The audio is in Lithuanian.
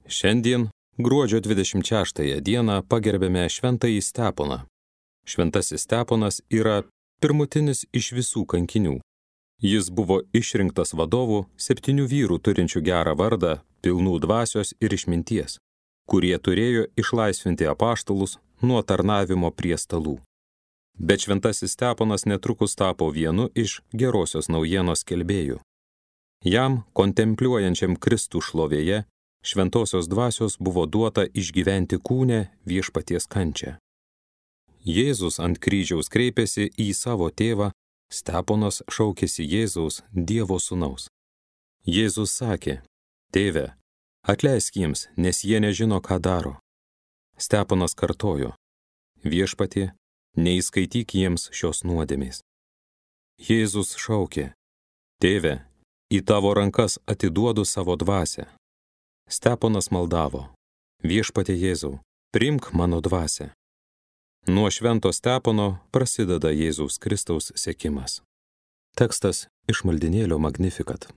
Šiandien, gruodžio 26 dieną, pagerbėme Šventąjį Steponą. Šventasis Steponas yra pirmutinis iš visų kankinių. Jis buvo išrinktas vadovu 7 vyrų turinčių gerą vardą, pilnų dvasios ir išminties, kurie turėjo išlaisvinti apaštalus nuo tarnavimo prie stalų. Bet Šventasis Steponas netrukus tapo vienu iš gerosios naujienos skelbėjų. Jam, kontempliuojančiam Kristų šlovėje, šventosios dvasios buvo duota išgyventi kūne viešpaties kančią. Jėzus ant kryžiaus kreipėsi į savo tėvą, Steponas šaukėsi Jėzaus, Dievo sūnaus. Jėzus sakė: Tėve, atleisk jiems, nes jie nežino, ką daro. Steponas kartojo: Viešpatie, neįskaityk jiems šios nuodėmės. Jėzus šaukė: Tėve, į tavo rankas atiduodu savo dvasią. Steponas maldavo: Viešpatie Jėzau, priimk mano dvasią. Nuo švento Stepono prasideda Jėzaus Kristaus sekimas. Tekstas iš maldynėlio Magnificat.